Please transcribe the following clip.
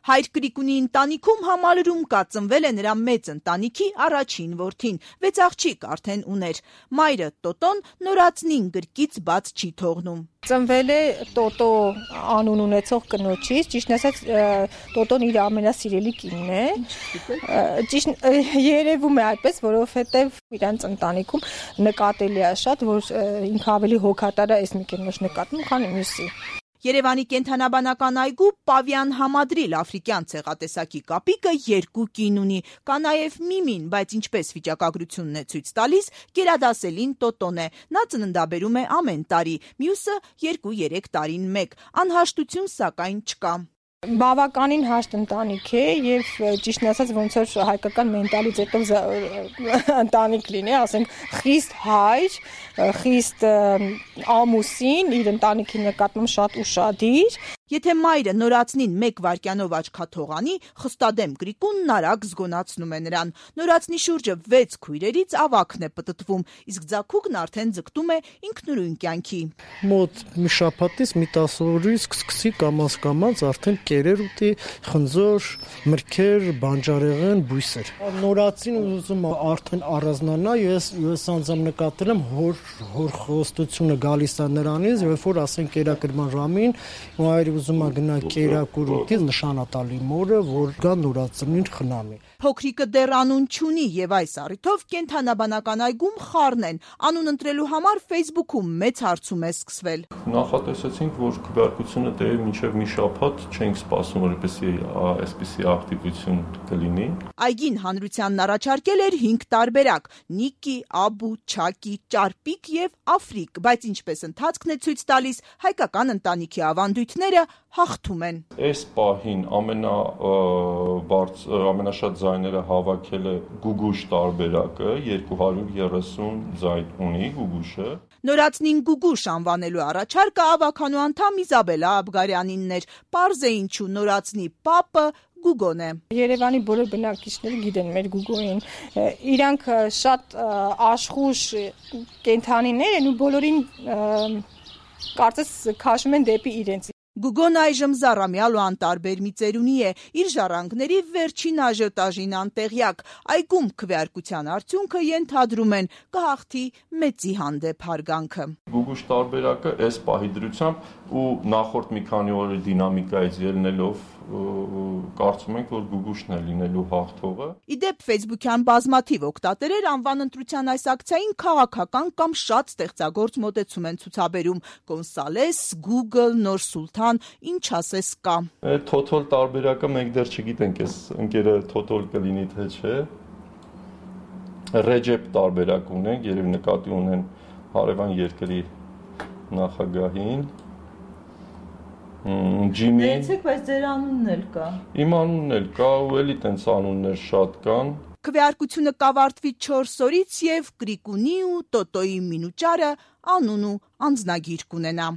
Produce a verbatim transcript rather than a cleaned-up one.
Հայր Կրիկունի ընտանիքում համալրում կածնվել է նրա մեծ ընտանիքի առաջին որդին, վեց աղջիկ արդեն ուներ։ Մայրը Տոտոն նորածնին գրկից բաց չի թողնում։ Ծնվել է Տոտո անուն ունեցող կնոջից, ճիշտն ասած Տոտոն իր ամենասիրելի կինն է։ Ճիշտ երևում է այդպես, որովհետև իրանց ընտանիքում նկատելի է շատ, որ ինքը ավելի հոգատար է այս մի կնոջ նկատմամբ, քան մյուսի։ Երևանի կենդանաբանական այգու Պավիան Համադրիլ աֆրիկյան ցեղատեսակի կապիկը երկու կին ունի, կա նաև Միմին, բայց ինչպես վիճակագրությունն է ցույց տալիս, գերադասելին Տոտոն է, նա ծննդաբերում է ամեն տարի, մյուսը երկու-երեք տարին մեկ, անհաշտություն սակայն չկա։ Բավականին հաշտ ընտանիք է եւ ճիշտն ասած ոնց որ հայկական մենտալից հետո ընտանիք լինի, ասենք խիստ հայր, խիստ ամուսին, իր ընտանիքի նկատմամբ շատ ուշադիր։ Եթե մայրը նորածնին մեկ վայրկյանով աչքաթողանի, խստադեմ Կրիկունն արագ զգոնացնում է նրան։ Նորածնի շուրջը վեց քույրերից ավագն է պտտվում, իսկ ձագուկն արդեն ձգտում է ինքնուրույն կյանքի։ Մոտ մի շաբաթից մի տասը օրից սկսի կամաց-կամաց արդեն կերեր ուտի, խնձոր, մրգեր, բանջարեղեն, բույսեր։ Նորածին ուզում արդեն առանձնանա, ես ես անձամբ նկատել եմ հոր հոր խոստությունը գալիս է նրանից, երբ որ ասենք կերակրման ժամին մայրը ուզում է գնա կերակուր ուտի, նշանատալի մորը, որ գա նորածնին խնամի։ Փոքրիկը դեռ անուն չունի եւ այս առիթով կենդանաբանական այգում խառն են։ Անուն ընտրելու համար Facebook-ում մեծ հարցում է սկսվել։ Նախատեսեցինք, որ քվեարկությունը տևի մինչև մի շաբաթ, չենք սպասում, որ այսպիսի ակտիվություն կլինի։ Այգին հանրությանն առաջարկել էր հինգ տարբերակ՝ Նիկի, Աբու, Չակի, Ճարպիկ եւ Աֆրիկ, բայց ինչպես ընթացքն է ցույց տալիս, հայկական ընտանիքի ավանդույթները հաղթում են։ Այս պահին ամենա ամենաշատ ձայները հավաքել է Գուգուշ տարբերակը, երկու հարյուր երեսուն ձայն ունի Գուգուշը։ Նորածնին Գուգուշ անվանելու առաջարկը ավականու անդամ Իզաբելա Աբգարյանինն էր։ Պարզ է ինչու նորածնի պապը Գուգոն է։ Երևանի բոլոր բնակիչները գիտեն մեր Գուգոին։ Իրանք շատ աշխուժ կենդանիներ են ու բոլորին կարծես քաշում են դեպի իրենց։ Գուգոն այժմ զառամյալ ու անտարբեր մի ծերունի է, իր ժառանգների վերջին աժիոտաժին անտեղյակ։ Այգում քվեարկության արդյունքը ենթադրում են կհաղթի մեծի հանդեպ հարգանքը։ Գուգուշ տարբերակը այս պահի դրությամբ ու նախորդ մի քանի օրի դինամիկայից ելնելով կարծում ենք, որ Գուգուշն է լինելու հաղթողը։ Իդեպ Facebook-յան բազմաթիվ օգտատերեր անվան ընտրության այս ակցիային քաղաքական կամ շատ ստեղծագործ մոտեցում են ցուցաբերում։ Կոնսալես, Google, Նոր Սուլթան, ինչ ասես կա։ Թոթոլ տարբերակը մենք դեռ չգիտենք, այս ընկերը թոթոլ կլինի թե չէ։ Ռեջեփ տարբերակ ունենք, երևի նկատի ունեն հարևան երկրի նախագահին։ Ջիմի։ Դեցեք, բայց ձեր անունն էլ կա։ Իմ անունն էլ կա ու էլի տենց անուններ շատ կան։ Քվեարկությունը կավարտվի չորս օրից եւ Կրիկունի ու Տոտոյի մինուճարը անուն ու անձնագիր կունենա։